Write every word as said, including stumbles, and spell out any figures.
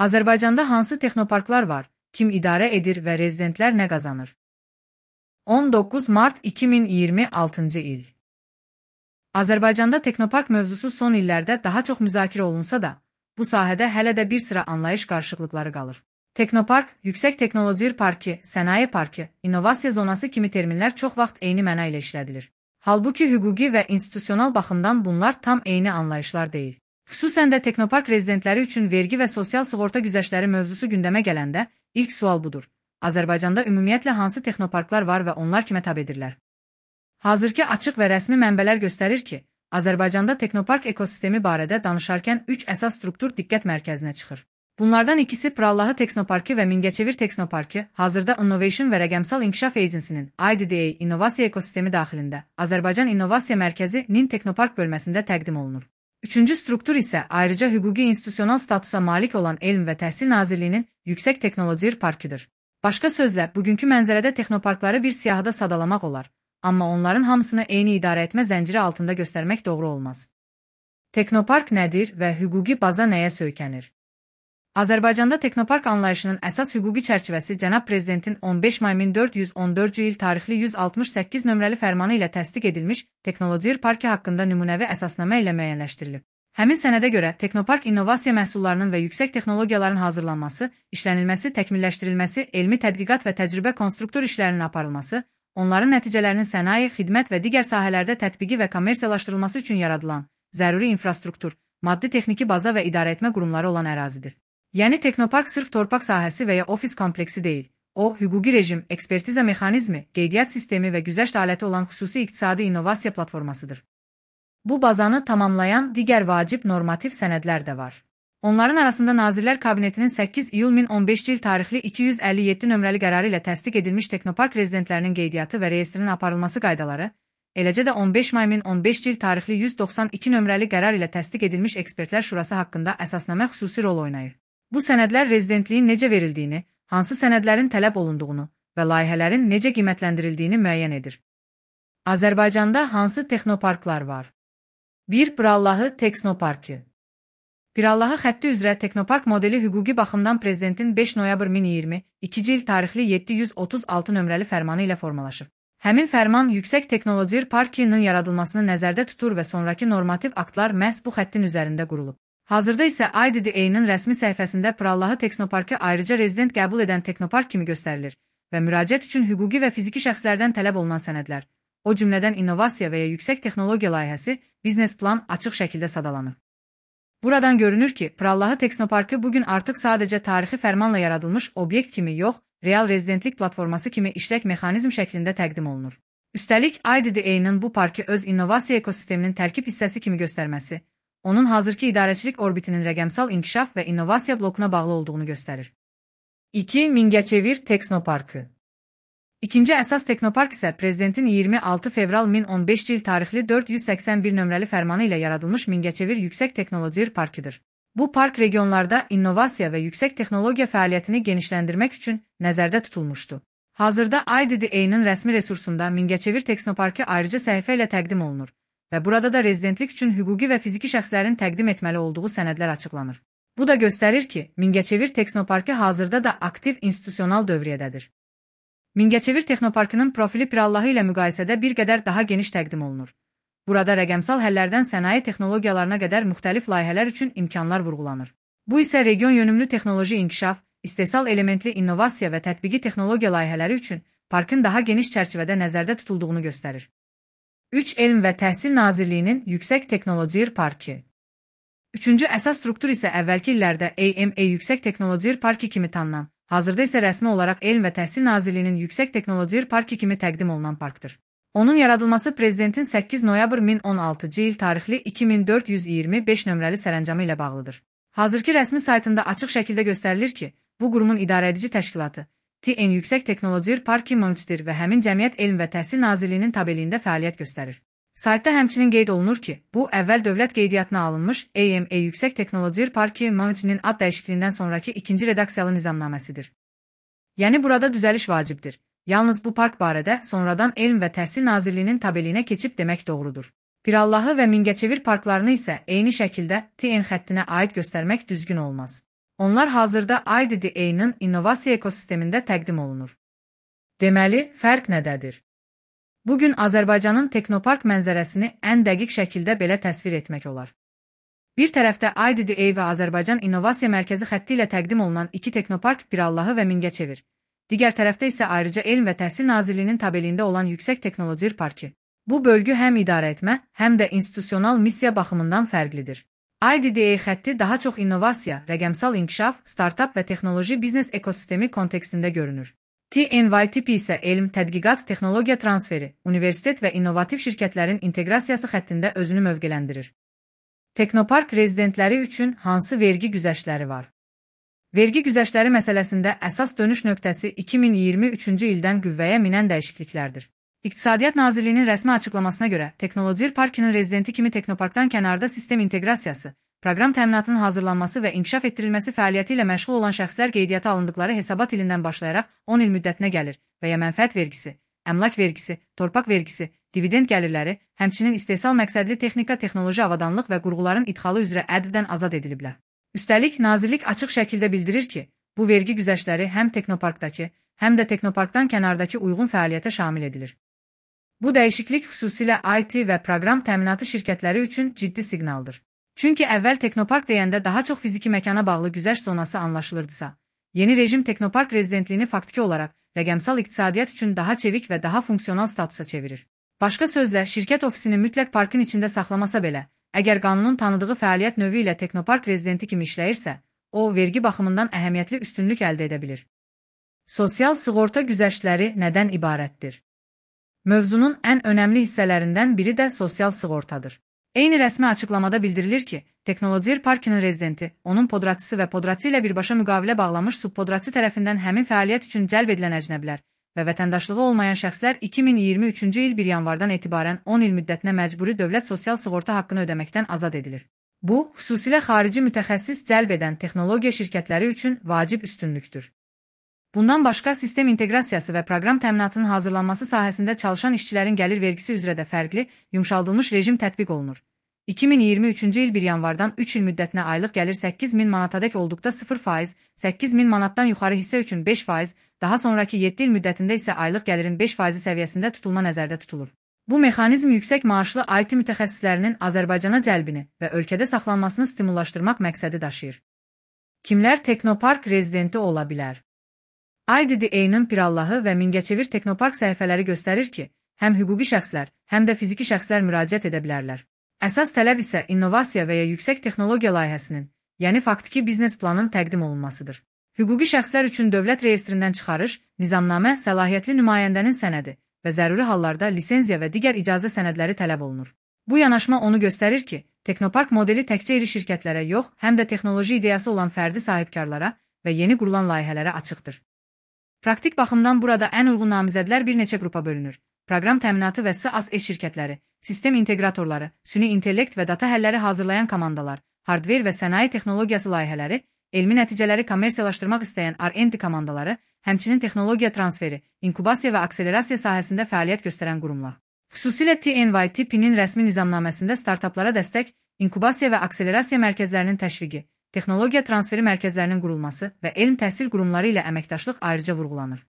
Azərbaycanda hansı texnoparklar var, kim idarə edir və rezidentlər nə qazanır? on doqquz mart iki min iyirmi altıncı il. Azərbaycanda texnopark mövzusu son illərdə daha çox müzakirə olunsa da, bu sahədə hələ də bir sıra anlayış qarışıqlıqları qalır. Texnopark, yüksək texnoloji parki, sənaye parki, innovasiya zonası kimi terminlər çox vaxt eyni məna ilə işlədilir. Halbuki hüquqi və institusional baxımdan bunlar tam eyni anlayışlar deyil. Xüsusən də texnopark rezidentləri üçün vergi və sosial sığorta güzəştləri mövzusu gündəmə gələndə ilk sual budur. Azərbaycanda ümumiyyətlə hansı texnoparklar var və onlar kimə tabedirlər? Hazırki açıq və rəsmi mənbələr göstərir ki, Azərbaycanda texnopark ekosistemi barədə danışarkən üç əsas struktur diqqət mərkəzinə çıxır. Bunlardan ikisi Pirallahı Texnoparkı və Mingəçevir Texnoparkı, hazırda Innovation və Rəqəmsal İnkişaf Agency-nin I D D A innovasiya ekosistemi daxilində Azərbaycan İnnovasiya Mərkəzi-nin Texnopark bölməsində təqdim olunur. Üçüncü struktur isə ayrıca hüquqi institusional statusa malik olan Elm və Təhsil Nazirliyinin Yüksək Texnoloji Parkıdır. Başqa sözlə, bugünkü mənzərədə texnoparkları bir siyahıda sadalamaq olar, amma onların hamısını eyni idarə etmə zənciri altında göstərmək doğru olmaz. Texnopark nədir və hüquqi baza nəyə söykənir? Azərbaycanda texnopark anlayışının əsas hüquqi çərçivəsi Cənab Prezidentin on beş may min dörd yüz on dördüncü il tarixli yüz altmış səkkiz nömrəli fərmanı ilə təsdiq edilmiş Texnoloji Parki haqqında nümunəvi əsasnamə ilə müəyyənləşdirilib. Həmin sənədə görə texnopark innovasiya məhsullarının və yüksək texnologiyaların hazırlanması, işlənilməsi, təkmilləşdirilməsi, elmi tədqiqat və təcrübə konstruktor işlərinin aparılması, onların nəticələrinin sənaye, xidmət və digər sahələrdə tətbiqi və kommersiyalaşdırılması üçün yaradılan zəruri infrastruktur, maddi-texniki baza və idarəetmə qurumları olan ərazidir. Yəni texnopark sırf torpaq sahəsi və ya ofis kompleksi deyil. O, hüquqi rejim, ekspertiza mexanizmi, qeydiyyat sistemi və güzəşt aləti olan xüsusi iqtisadi innovasiya platformasıdır. Bu bazanı tamamlayan digər vacib normativ sənədlər də var. Onların arasında Nazirlər Kabinetinin səkkiz iyul min on beşinci il tarixli iki yüz əlli yeddi nömrəli qərarı ilə təsdiq edilmiş texnopark rezidentlərinin qeydiyyatı və reyestrinin aparılması qaydaları, eləcə də on beş may min on beşinci il tarixli yüz doxsan iki nömrəli qərar ilə təsdiq edilmiş Ekspertlər Şurası haqqında əsasnamə xüsusi rol oynayır. Bu sənədlər rezidentliyin necə verildiyini, hansı sənədlərin tələb olunduğunu və layihələrin necə qiymətləndirildiyini müəyyən edir. Azərbaycanda hansı texnoparklar var? bir Pirallahı Texnoparkı. Pirallahı xətti üzrə texnopark modeli hüquqi baxımdan Prezidentin beş noyabr min iyirmi ikinci il tarixli yeddi yüz otuz altı nömrəli fərmanı ilə formalaşıb. Həmin fərman Yüksək Texnoloji Parkının yaradılmasını nəzərdə tutur və sonraki normativ aktlar məhz bu xəttin üzərində qurulub. Hazırda isə I D D A-nın rəsmi səhifəsində Pirallahı Texnoparkı ayrıca rezident qəbul edən texnopark kimi göstərilir və müraciət üçün hüquqi və fiziki şəxslərdən tələb olunan sənədlər, o cümlədən innovasiya və ya yüksək texnologiya layihəsi, biznes plan açıq şəkildə sadalanır. Buradan görünür ki, Pirallahı Texnoparkı bugün artıq sadəcə tarixi fərmanla yaradılmış obyekt kimi yox, real rezidentlik platforması kimi işlək mexanizm şəklində təqdim olunur. Üstəlik, I D D A-nın bu parkı öz innovasiya ekosisteminin tərkib hissəsi kimi göstərməsi, onun hazırki idarəçilik orbitinin rəqəmsal inkişaf və innovasiya blokuna bağlı olduğunu göstərir. iki Mingəçevir Texnoparkı. İkinci əsas texnopark isə Prezidentin iyirmi altı fevral min on beşinci il tarixli dörd yüz səksən bir nömrəli fərmanı ilə yaradılmış Mingəçevir Yüksək Texnoloji Parkıdır. Bu park regionlarda innovasiya və yüksək texnologiya fəaliyyətini genişləndirmək üçün nəzərdə tutulmuşdu. Hazırda I D D A-nın rəsmi resursunda Mingəçevir Texnoparkı ayrıca səhifə ilə təqdim olunur və burada da rezidentlik üçün hüquqi və fiziki şəxslərin təqdim etməli olduğu sənədlər açıqlanır. Bu da göstərir ki, Mingəçevir Texnoparkı hazırda da aktiv institusional dövriyyədədir. Mingəçevir Texnoparkının profili Pirallahı ilə müqayisədə bir qədər daha geniş təqdim olunur. Burada rəqəmsal həllərdən sənaye texnologiyalarına qədər müxtəlif layihələr üçün imkanlar vurğulanır. Bu isə region yönümlü texnoloji inkişaf, istehsal elementli innovasiya və tətbiqi texnologiya layihələri üçün parkın daha geniş çərçivədə nəzərdə tutulduğunu göstərir. üç Elm və Təhsil Nazirliyinin Yüksək Texnoloji Parkı. Üçüncü əsas struktur isə əvvəlki illərdə A M A Yüksək Texnoloji Parkı kimi tanınan, hazırda isə rəsmi olaraq Elm və Təhsil Nazirliyinin Yüksək Texnoloji Parkı kimi təqdim olunan parkdır. Onun yaradılması Prezidentin səkkiz noyabr min on altıncı il tarixli iki min dörd yüz iyirmi beş nömrəli sərəncamı ilə bağlıdır. Hazırki rəsmi saytında açıq şəkildə göstərilir ki, bu qurumun idarəedici təşkilatı T N Yüksək Texnoloji Parkı Monitör və həmin cəmiyyət Elm və Təhsil Nazirliyinin tabeliyində fəaliyyət göstərir. Saytda həmçinin qeyd olunur ki, bu əvvəl dövlət qeydiyyatına alınmış A M A Yüksək Texnoloji Parkı Monitörün ad dəyişikliyindən sonraki ikinci redaksiyalı nizamnaməsidir. Yəni burada düzəliş vacibdir. Yalnız bu park barədə sonradan Elm və Təhsil Nazirliyinin tabeliyinə keçib demək doğrudur. Pirallahı və Mingəçevir parklarını isə eyni şəkildə T N xəttinə aid göstərmək düzgün olmaz. Onlar hazırda I D D A-nın innovasiya ekosistemində təqdim olunur. Deməli, fərq nədədir? Bugün Azərbaycanın texnopark mənzərəsini ən dəqiq şəkildə belə təsvir etmək olar. Bir tərəfdə I D D A və Azərbaycan İnnovasiya Mərkəzi xətti ilə təqdim olunan iki texnopark Pirallahı və Mingəçevir. Digər tərəfdə isə ayrıca Elm və Təhsil Nazirliyinin tabeliyində olan Yüksək Texnoloji Parkı. Bu bölgü həm idarə etmə, həm də institusional missiya baxımından fərqlidir. I D D A xətti daha çox innovasiya, rəqəmsal inkişaf, startap və texnoloji biznes ekosistemi kontekstində görünür. T N Y tipi isə elm, tədqiqat, texnologiya transferi, universitet və innovativ şirkətlərin inteqrasiyası xəttində özünü mövqeləndirir. Texnopark rezidentləri üçün hansı vergi güzəştləri var? Vergi güzəştləri məsələsində əsas dönüş nöqtəsi iki min iyirmi üçüncü ildən qüvvəyə minən dəyişikliklərdir. İqtisadiyyat Nazirliyinin rəsmi açıqlamasına görə, Texnoloji Parkının rezidenti kimi Texnoparkdan kənarda sistem inteqrasiyası, proqram təminatının hazırlanması və inkişaf etdirilməsi fəaliyyəti ilə məşğul olan şəxslər qeydiyyata alındıqları hesabat ilindən başlayaraq on il müddətinə gəlir və ya mənfəət vergisi, əmlak vergisi, torpaq vergisi, dividend gəlirləri, həmçinin istehsal məqsədli texnika, texnoloji avadanlıq və qurğuların idxalı üzrə ədvdən azad ediliblər. Üstəlik, Nazirlik açıq şəkildə bildirir ki, bu vergi güzəştləri həm Texnoparkdakı, həm də Texnoparkdan kənardakı uyğun fəaliyyətə şamil edilir. Bu dəyişiklik xüsusilə I T və proqram təminatı şirkətləri üçün ciddi siqnaldır. Çünki əvvəl Texnopark deyəndə daha çox fiziki məkana bağlı güzəşt zonası anlaşılırdısa, yeni rejim Texnopark rezidentliyini faktiki olaraq rəqəmsal iqtisadiyyat üçün daha çevik və daha funksional statusa çevirir. Başqa sözlə, şirkət ofisini mütləq parkın içində saxlamasa belə, əgər qanunun tanıdığı fəaliyyət növü ilə Texnopark rezidenti kimi işləyirsə, o, vergi baxımından əhəmiyyətli üstünlük əldə edə bilir. Sosial sığorta güzəştləri nədən ibarətdir? Mövzunun ən önəmli hissələrindən biri də sosial sığortadır. Eyni rəsmi açıqlamada bildirilir ki, Texnoloji Parkının rezidenti, onun podratçısı və podratçı ilə birbaşa müqavilə bağlamış subpodratçı tərəfindən həmin fəaliyyət üçün cəlb edilən əcnəblər və vətəndaşlığı olmayan şəxslər iki min iyirmi üçüncü il bir yanvardan etibarən on il müddətinə məcburi dövlət sosial sığorta haqqını ödəməkdən azad edilir. Bu, xüsusilə xarici mütəxəssis cəlb edən texnologiya şirkətləri üçün vacib üstünlükdür. Bundan başqa, sistem inteqrasiyası və proqram təminatının hazırlanması sahəsində çalışan işçilərin gəlir vergisi üzrə də fərqli, yumşaldılmış rejim tətbiq olunur. iki min iyirmi üçüncü il bir yanvardan üç il müddətinə aylıq gəlir səkkiz min manatadək olduqda sıfır faiz, səkkiz min manatdan yuxarı hissə üçün beş faiz, daha sonraki yeddi il müddətində isə aylıq gəlirin beş faizi səviyyəsində tutulma nəzərdə tutulur. Bu mexanizm yüksək maaşlı I T mütəxəssislərinin Azərbaycana cəlbini və ölkədə saxlanmasını stimullaşdırmaq məqsədi daşıyır. Kimlər Texnopark rezidenti ola bilər? I D D A-nın Pirallahı və Mingəçevir Texnopark səhifələri göstərir ki, həm hüquqi şəxslər, həm də fiziki şəxslər müraciət edə bilərlər. Əsas tələb isə innovasiya və ya yüksək texnologiya layihəsinin, yəni faktiki biznes planın təqdim olunmasıdır. Hüquqi şəxslər üçün dövlət reyestrindən çıxarış, nizamnamə, səlahiyyətli nümayəndənin sənədi və zəruri hallarda lisenziya və digər icazə sənədləri tələb olunur. Bu yanaşma onu göstərir ki, Texnopark modeli təkcə iri şirkətlərə yox, həm də texnoloji ideyası olan fərdi sahibkarlara və yeni qurulan layihələrə açıqdır. Praktik baxımdan burada ən uyğun namizədlər bir neçə qrupa bölünür. Proqram təminatı və S A S şirkətləri, sistem inteqratorları, süni intellekt və data həlləri hazırlayan komandalar, hardver və sənaye texnologiyası layihələri, elmi nəticələri kommersiyalaşdırmaq istəyən R and D komandaları, həmçinin texnologiya transferi, inkubasiya və akselerasiya sahəsində fəaliyyət göstərən qurumlar. Xüsusilə T N Y tipinin rəsmi nizamnaməsində startaplara dəstək, inkubasiya və akselerasiya mərkəzlərinin təşviqi, texnologiya transferi mərkəzlərinin qurulması və elm təhsil qurumları ilə əməkdaşlıq ayrıca vurğulanır.